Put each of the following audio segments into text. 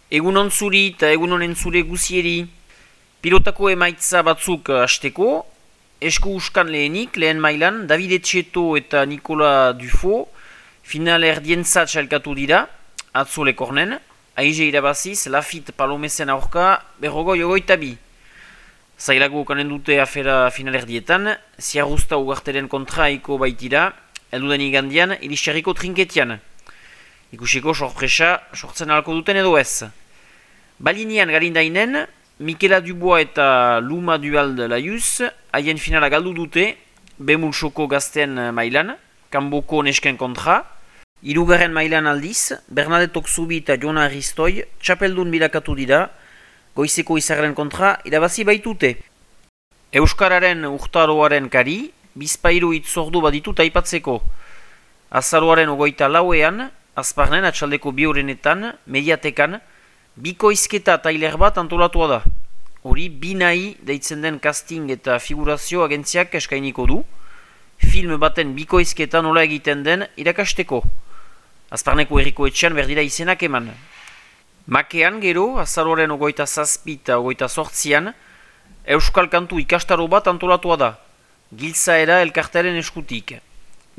Egun on zuri eta egun honen zure guzieri. Pilotako emaitza batzuk hasteko, esku uskan lehenik, lehen mailan, David Etxeto eta Nicolas Dufo final erdientzat txalkatu dira, atzo lekornen, aize irabaziz, Lafit Palomezen aurka, berrogoi ogoita bi. Zailago kanen dute afera final erdietan, Ziarruzta ugarteren kontraiko baitira, elduden igandian, Irisarriko trinketian. Ikusiko sorpresa sortzen alko duten edo ez. Balinian garindainen, Mikela Dubois eta Luma Dualde Laius haien finala galdu dute, Bemulsoko gazten mailan, Kanboko nesken kontra. Hirugarren mailan aldiz, Bernadette Okzubi eta Jona Aristoi txapeldun bilakatu dira, goizeko izarren kontra irabazi baitute. Euskararen urtaroaren kari, bizpairu itzordu baditut aipatzeko. Azaroaren ogoita lauean, Azparnen atxaldeko bi horrenetan, mediatekan, bikoizketa tailer bat antolatua da. Hori, binai deitzen den casting eta figurazio agentziak eskainiko du, film baten bikoizketa nola egiten den irakasteko. Azparneko herriko etxean berdira izenak eman. Makean gero, azaroaren ogoita zazpi eta ogoita sortzian, Euskal Kantu ikastaro bat antolatua da, Giltzaera elkartearen eskutik.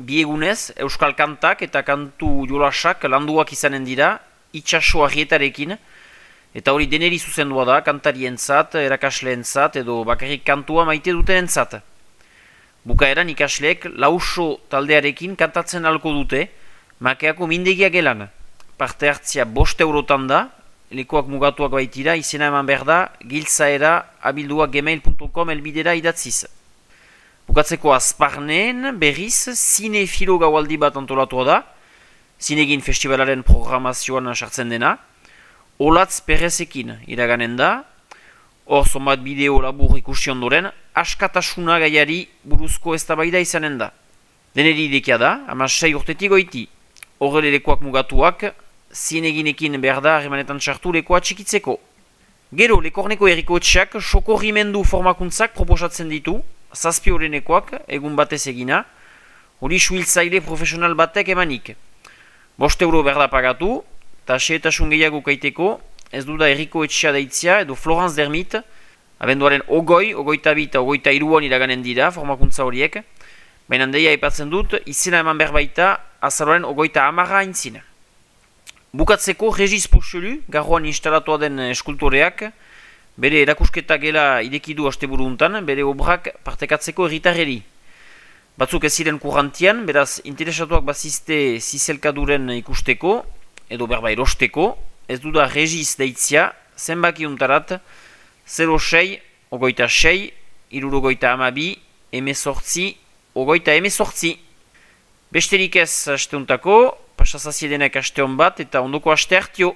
Bi egunez, Euskal Kantak eta kantu jolasak landuak izanen dira, itxaso argietarekin, eta hori deneri zuzendua da, kantarientzat, erakasleentzat edo bakarrik kantua maite dutenentzat. Bukaeran ikasleek lauso taldearekin kantatzen alko dute, Makeako mindegia gelan. Parte hartzia 5 eurotan da, lekuak mugatuak baitira, izena eman behar da, giltzaera@gmail.com elbidera idatziz. Bukatzeko Azparneen berriz, zinefilo gaualdi bat antolatua da, Zinegin festivalaren programazioan sartzen dena, Olatz Perezekin iraganen da, hor zonbat bideo labur ikusi ondoren, askatasuna gaiari buruzko eztabaida izanen da. Deneri idekia da, 16 urtetik goiti, horre lekuak mugatuak, Zineginekin behar da harremanetan sartu lekoa txikitzeko. Gero, lekorneko herriko etxeak sokorrimendu formakuntzak proposatzen ditu, 7 horrenekoak, egun batez egina, hori suhiltzaile profesional batek emanik. 5 euro behar da pagatu, eta xeetasun gehiago kaiteko, ez du da herriko etxea deitzia edo Florence Dermit, abenduaren ogoita bi eta ogoita iruan iraganen dira formakuntza horiek, baina deia aipatzen dut, izena eman behar baita azaroaren ogoita 10 aintzina. Bukatzeko Regis Pochelu, garroan instalatua den eskultoreak, bere erakusketa gela irekidu asteburu untan, bere obrak partekatzeko erritarreri. Batzuk ez ziren kurrantian, beraz interesatuak bazizte zizelkaduren ikusteko, edo berba erosteko, ez du da Regis deitzia, zenbaki untarat, 06, ogoita 6, irurogoita 12, emezortzi, ogoita emezortzi. Besterik ez asteuntako, pasazaziedenak aste hon bat eta ondoko aste hartio.